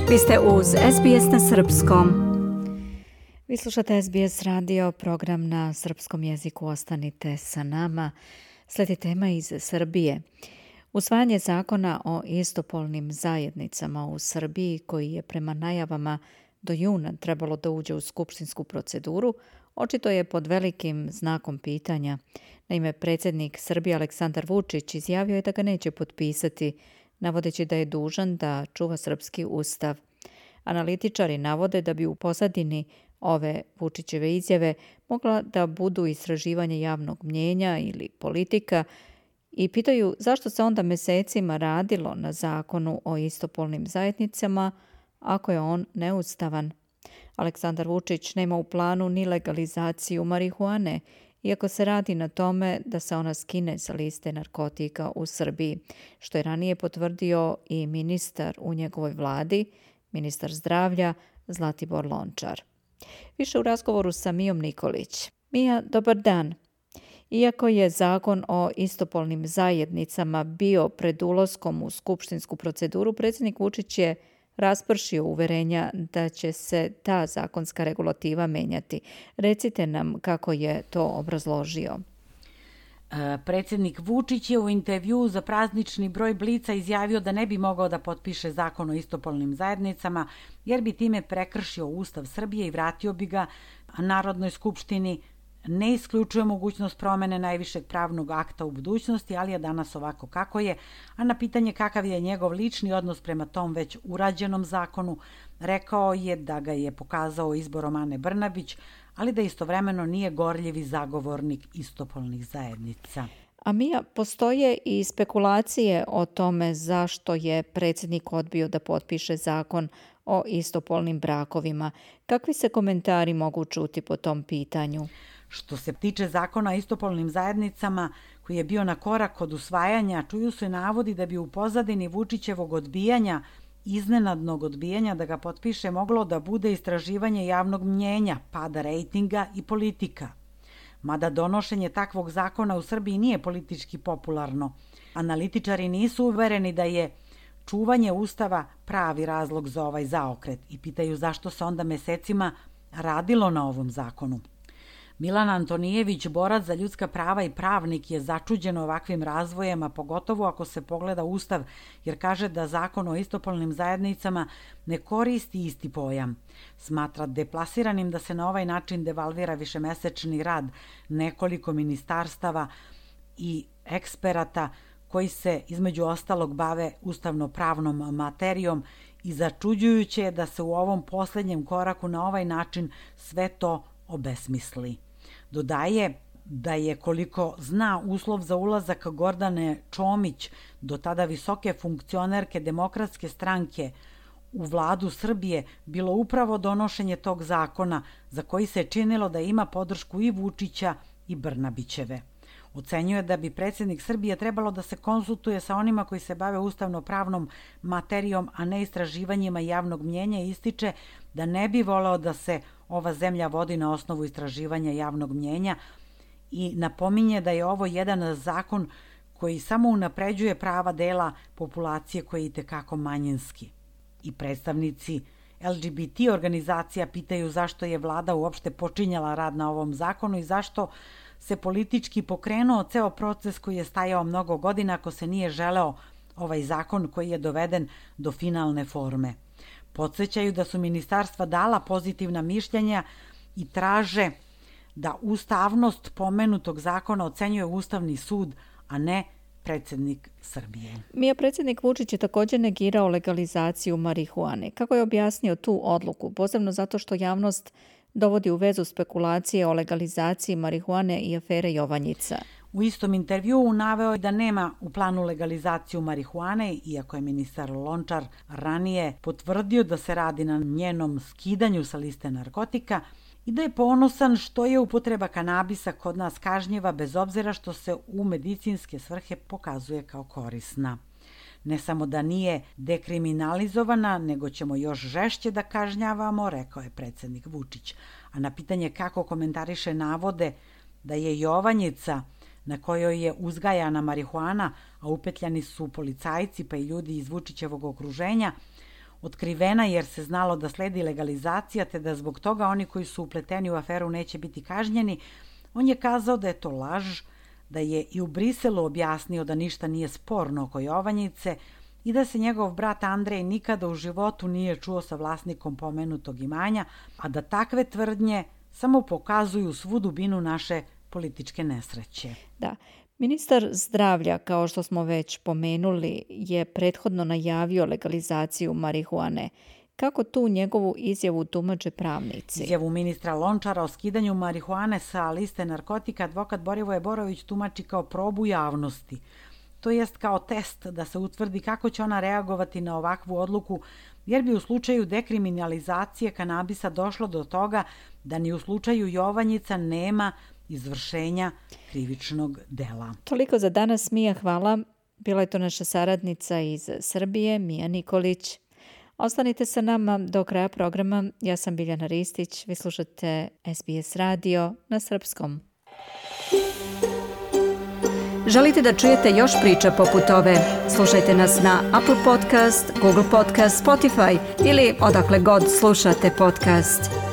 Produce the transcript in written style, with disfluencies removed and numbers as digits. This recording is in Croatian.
Vi ste uz SBS na srpskom. Vi slušate SBS radio, program na srpskom jeziku. Ostanite sa nama. Slijedi tema iz Srbije. Usvajanje zakona o istopolnim zajednicama u Srbiji, koji je prema najavama do juna trebalo da uđe u skupštinsku proceduru, očito je pod velikim znakom pitanja. Naime, predsjednik Srbije Aleksandar Vučić izjavio je da ga neće potpisati, navodeći da je dužan da čuva srpski ustav. Analitičari navode da bi u pozadini ove Vučićeve izjave mogla da budu istraživanje javnog mnjenja ili politika i pitaju zašto se onda mesecima radilo na zakonu o istopolnim zajednicama ako je on neustavan. Aleksandar Vučić nema u planu ni legalizaciju marihuane, iako se radi na tome da se ona skine sa liste narkotika u Srbiji, što je ranije potvrdio i ministar u njegovoj vladi, ministar zdravlja Zlatibor Lončar. Više u razgovoru sa Mijom Nikolić. Mija, dobar dan. Iako je zakon o istopolnim zajednicama bio pred ulaskom u skupštinsku proceduru, predsjednik Vučić je raspršio uverenja da će se ta zakonska regulativa menjati. Recite nam kako je to obrazložio. Predsjednik Vučić je u intervjuu za praznični broj Blica izjavio da ne bi mogao da potpiše zakon o istopolnim zajednicama, jer bi time prekršio Ustav Srbije i vratio bi ga Narodnoj skupštini. Ne isključuje mogućnost promene najvišeg pravnog akta u budućnosti, ali je danas ovako kako je, a na pitanje kakav je njegov lični odnos prema tom već urađenom zakonu, rekao je da ga je pokazao izborom Ane Brnabić, ali da istovremeno nije gorljivi zagovornik istopolnih zajednica. A Mija, postoje i spekulacije o tome zašto je predsjednik odbio da potpiše zakon o istopolnim brakovima. Kakvi se komentari mogu čuti po tom pitanju? Što se tiče zakona o istopolnim zajednicama, koji je bio na korak od usvajanja, čuju se navodi da bi u pozadini Vučićevog odbijanja, iznenadnog odbijanja da ga potpiše, moglo da bude istraživanje javnog mnjenja, pada rejtinga i politika. Mada donošenje takvog zakona u Srbiji nije politički popularno, analitičari nisu uvereni da je čuvanje Ustava pravi razlog za ovaj zaokret i pitaju zašto se onda mesecima radilo na ovom zakonu. Milan Antonijević, borac za ljudska prava i pravnik, je začuđen ovakvim razvojem, a pogotovo ako se pogleda Ustav, jer kaže da zakon o istopolnim zajednicama ne koristi isti pojam. Smatra deplasiranim da se na ovaj način devalvira višemesečni rad nekoliko ministarstava i eksperata koji se između ostalog bave ustavno-pravnom materijom i začuđujuće je da se u ovom posljednjem koraku na ovaj način sve to obesmisli. Dodaje da je, koliko zna, uslov za ulazak Gordane Čomić, do tada visoke funkcionerke Demokratske stranke, u vladu Srbije bilo upravo donošenje tog zakona za koji se činilo da ima podršku i Vučića i Brnabićeve. Ocenjuje da bi predsjednik Srbije trebalo da se konsultuje sa onima koji se bave ustavno-pravnom materijom, a ne istraživanjima javnog mnjenja, i ističe da ne bi voleo da se ova zemlja vodi na osnovu istraživanja javnog mnjenja i napominje da je ovo jedan zakon koji samo unapređuje prava dela populacije koji je itekako manjinski. I predstavnici LGBT organizacija pitaju zašto je vlada uopšte počinjala rad na ovom zakonu i zašto se politički pokrenuo ceo proces koji je stajao mnogo godina ako se nije želeo ovaj zakon koji je doveden do finalne forme. Podsjećaju da su ministarstva dala pozitivna mišljenja i traže da ustavnost pomenutog zakona ocenjuje Ustavni sud, a ne predsjednik Srbije. Mija, predsjednik Vučić je također negirao legalizaciju marihuane. Kako je objasnio tu odluku? Posebno zato što javnost dovodi u vezu spekulacije o legalizaciji marihuane i afere Jovanjica. U istom intervjuu naveo je da nema u planu legalizaciju marihuane, iako je ministar Lončar ranije potvrdio da se radi na njenom skidanju sa liste narkotika, i da je ponosan što je upotreba kanabisa kod nas kažnjiva bez obzira što se u medicinske svrhe pokazuje kao korisna. Ne samo da nije dekriminalizovana, nego ćemo još žešće da kažnjavamo, rekao je predsjednik Vučić. A na pitanje kako komentariše navode da je Jovanjica, na kojoj je uzgajana marihuana, a upetljani su policajci pa i ljudi iz Vučićevog okruženja, otkrivena jer se znalo da sledi legalizacija te da zbog toga oni koji su upleteni u aferu neće biti kažnjeni, on je kazao da je to laž, da je i u Briselu objasnio da ništa nije sporno oko Jovanjice i da se njegov brat Andrej nikada u životu nije čuo sa vlasnikom pomenutog imanja, a da takve tvrdnje samo pokazuju svu dubinu naše političke nesreće. Da. Ministar zdravlja, kao što smo već pomenuli, je prethodno najavio legalizaciju marihuane. Kako tu njegovu izjavu tumače pravnici? Izjavu ministra Lončara o skidanju marihuane sa liste narkotika advokat Borivoje Borović tumači kao probu javnosti. To jest kao test da se utvrdi kako će ona reagovati na ovakvu odluku, jer bi u slučaju dekriminalizacije kanabisa došlo do toga da ni u slučaju Jovanjica nema izvršenja krivičnog dela. Toliko za danas, Mija, hvala. Bila je to naša saradnica iz Srbije, Mija Nikolić. Ostanite sa nama do kraja programa. Ja sam Biljana Ristić. Vi slušate SBS radio na srpskom. Želite da čujete još priča poput ove? Slušajte nas na Apple Podcast, Google Podcast, Spotify ili odakle god slušate podcast.